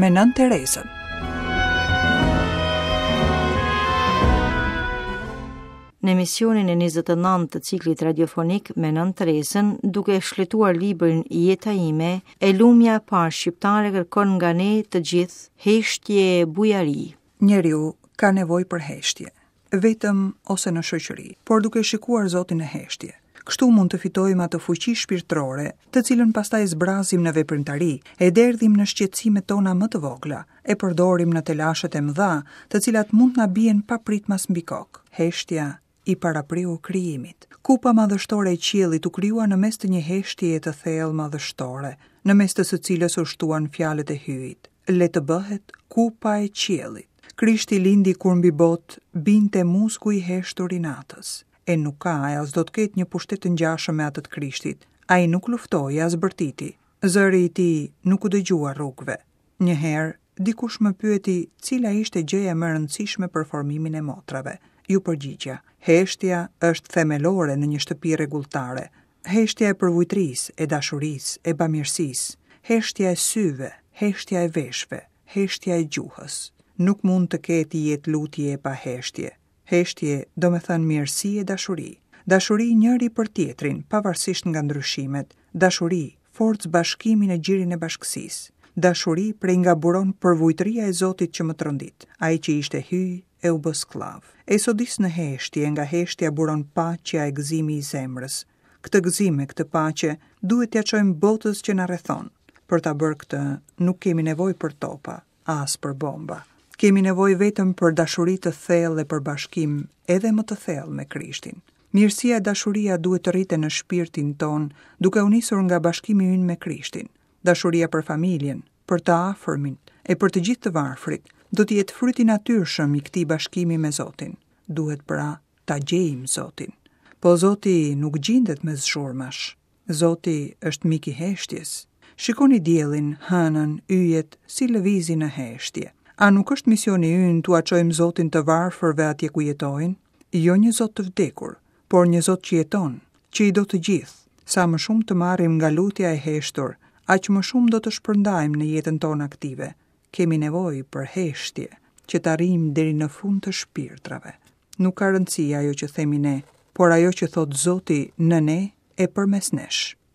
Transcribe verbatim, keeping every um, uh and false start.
me Nënë Terezën. Në emisionin e njëzet e nëntë të ciklit radiofonik me Nënë Terezën, duke shfletuar librin Jeta ime, e lumja e parë shqiptare kërkon nga ne të gjithë heshtje e bujari. Njeriu ka nevojë për heshtje, vetëm ose në shoqëri, por duke shikuar Zotin në heshtje. Kështu mund të fitojmë atë fuqi shpirtërore, të cilën pastaj zbrazim në veprimtari, e derdhim në shqetësimet tona më të vogla, e përdorim në telashet e mëdha, të cilat mund na bien papritmas mbi kokë. Heshtja i parapriu krijimit. Kupa madhështore e qiellit u krijua në mes të një heshtjeje të thellë madhështore, në mes të së cilës u shtuan fjalët e Hyjit. Le të bëhet kupa e qiellit. Krishti lindi kur mbi botë binte musku i heshtur i natës. E nuk ka e as do të ketë një pushtet të ngjashëm me atë të Krishtit. Ai nuk luftoi as bërtiti. Zëri i tij nuk u dëgjua rrugëve. Një herë, dikush më pyeti cila ishte gjëja më e rëndësishme për formimin e motrave. Ju përgjigja, heshtja është themelore në një shtëpi rregulltare. Heshtja e përvujtrisë, e dashurisë, e bamirësisë, heshtja e syve, heshtja e veshëve, heshtja e gjuhës. Nuk mund të ketë jetë lutje pa heshtje. Heshtje do me thënë mirësi e dashuri. Dashuri njëri për tjetrin, pavarësisht nga ndryshimet. Dashuri, forcë bashkimi në gjirin e bashkësisë. Dashuri prej nga buron përvujtëria e Zotit që më trondit, ai që ishte hyj e u bë skllav. E sodis në heshtje, nga heshtja buron paqja e gëzimi i zemrës. Këtë gëzim e këtë paqe duhet t'ia çojmë botës që na rrethon. Për ta bërë këtë, nuk kemi nevojë për topa, as për bomba. Kemi nevojë vetëm për dashuri të thellë dhe për bashkim edhe më të thellë me Krishtin. Mirësia e dashuria duhet të rriten në shpirtin ton, duke u nisur nga bashkimi ynë me Krishtin. Dashuria për familjen, për të afërmin e për të gjithë të varfrit, do të jetë fryti natyrshëm i këtij bashkimi me Zotin. Duhet pra ta gjejmë Zotin. Po Zoti nuk gjindet mes zhurmash. Zoti është mik i heshtjes. Shikoni diellin, hënën, yjet, si lëvizin në heshtje. A nuk është misioni ynë t'ua çojmë Zotin të varfërve atje ku jetojnë? Jo një Zot të vdekur, por një Zot që jeton, që i do të gjithë. Sa më shumë të marrim nga lutja e heshtur, aq më shumë do të shpërndajmë në jetën tonë aktive. Kemi nevojë për heshtje, që të arrijmë deri në fund të shpirtrave. Nuk ka rëndësi ajo që themi ne, por ajo që thot Zoti në ne e përmes nesh.